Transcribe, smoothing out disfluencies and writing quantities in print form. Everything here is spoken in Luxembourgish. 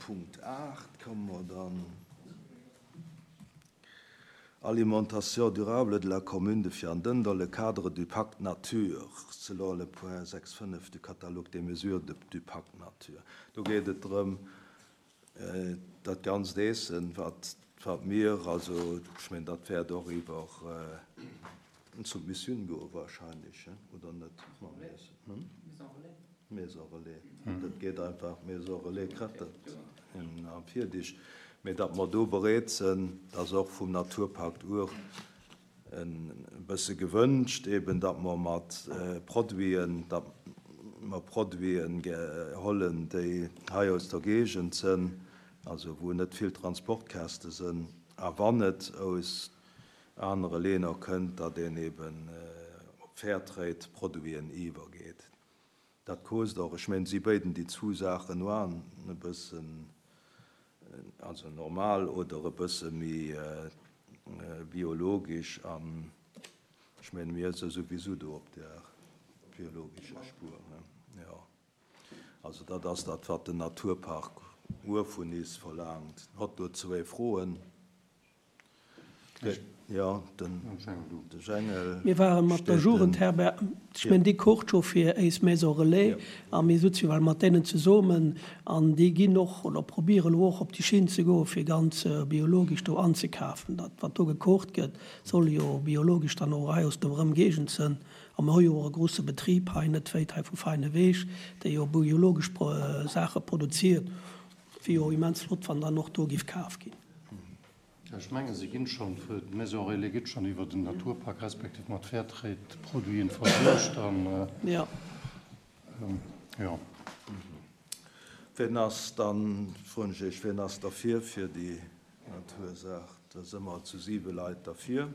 Punkt 8 komme mer dann. Alimentation durable de la commune de Vianden dans le cadre du Pacte nature, selon le point 6.5 du catalogue des mesures du Pacte nature. Do geet et drëm, dat ganzt Eessen, wat mir, also ech mengen, dat wäert och iwwer d'Submissioun goe wahrscheinlech, oder net, mam Iessen? Maison relais. Dat geet einfach, Maison relais kritt dat am Virdig. Mee datt mer do bereet sinn, dat ass och vum Naturpakt Our e bësse gewënscht, eben datt mer mat Produiten, datt mer Produiten hollen, déi hei aus der Géigend sinn, also wou net vill Transportkäste sinn, a wann et aus anere Länner kënnt, datt een eben op Fairtrade-Produiten iwwergeet. Dat kost och, ech mengen, si béiden déi zwou Saachen oan e bëssen, also normal oder e bësse méi biologesch an ech mengen, mir si souwisou do op där biologescher Spur, ne? Jo. Also dat ass dat, wat den Naturpark Our vun is verlaangt. Hott do zwéi Froen. Jo, den Jengel. Mir ware mat der Jugendherberg, ech mengen déi kocht scho fir éis Maison Relais a mir sutze jo well mat deenen zesummen an déi ginn och oder probéieren elo och op déi Schinn ze goe fir ganz biologesch do anzekafen. Dat wat do gekocht gëtt soll jo biologesch dann och hei aus der Ëmgegend sënn a mir hu jo och e grouse Betrib hei net wéit hei vu Feineweg, dee jo biologesch Saache produziert. Wier jo immens flott wann dann och do giff kaf ginn. Ech menge se ginn schonn, d'Maison Relais gëtt schonn iwwer den Naturpak respektiv mat Fairtrade-Produiten versuergt an jo. Ween ass dann, froen ech Iech, ween ass derfir fir déi Natursaach? Da si mer zu siwe Leit derfir.